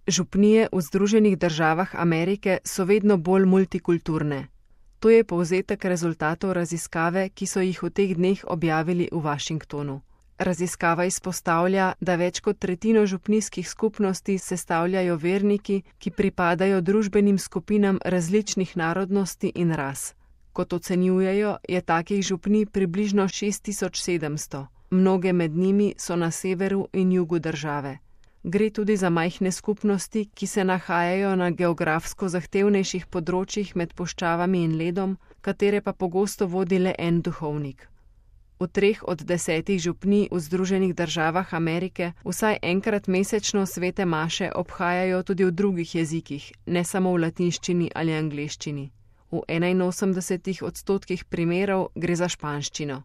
Župnije v Združenih državah Amerike so vedno bolj multikulturne. To je povzetek rezultatov raziskave, ki so jih v teh dneh objavili v Washingtonu. Raziskava izpostavlja, da več kot tretjino župnijskih skupnosti sestavljajo verniki, ki pripadajo družbenim skupinam različnih narodnosti in ras. Kot ocenjujejo, je takih župnij približno 6700. Mnoge med njimi so na severu in jugu države. Gre tudi za majhne skupnosti, ki se nahajajo na geografsko zahtevnejših področjih med puščavami in ledom, katere pa pogosto vodi le en duhovnik. V 3 od 10 župnij v Združenih državah Amerike vsaj enkrat mesečno svete maše obhajajo tudi v drugih jezikih, ne samo v latinščini ali angleščini. V 81% primerov gre za španščino.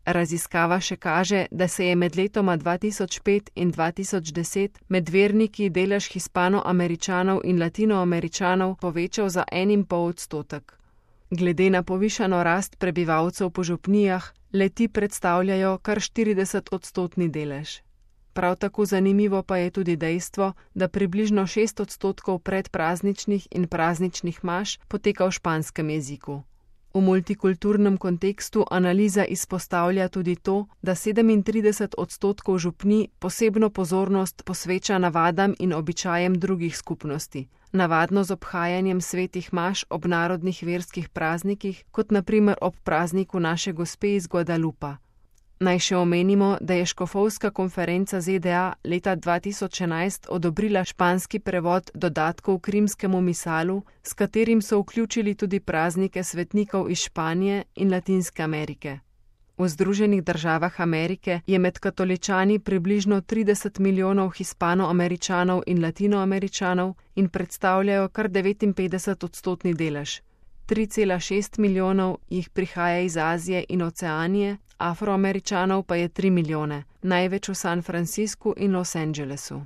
Raziskava še kaže, da se je med letoma 2005 in 2010 med verniki delež Hispanoameričanov in Latinoameričanov povečal za 1,5%. Glede na povišano rast prebivalcev po župnijah, le-ti predstavljajo kar 40% delež. Prav tako zanimivo pa je tudi dejstvo, da približno 6% predprazničnih in prazničnih maš poteka v španskem jeziku. V multikulturnem kontekstu analiza izpostavlja tudi to, da 37% župnij posebno pozornost posveča navadam in običajem drugih skupnosti, navadno z obhajanjem svetih maš ob narodnih verskih praznikih, kot na primer ob prazniku Naše Gospe iz Guadalupa. Naj še omenimo, da je škofovska konferenca ZDA leta 2011 odobrila španski prevod dodatkov k rimskemu misalu, s katerim so vključili tudi praznike svetnikov iz Španije in Latinske Amerike. V Združenih državah Amerike je med katoličani približno 30 milijonov Hispanoameričanov in Latinoameričanov in predstavljajo kar 59% delež. 3,6 milijonov jih prihaja iz Azije in Oceanije, Afroameričanov pa je 3 milijone, največ v San Franciscu in Los Angelesu.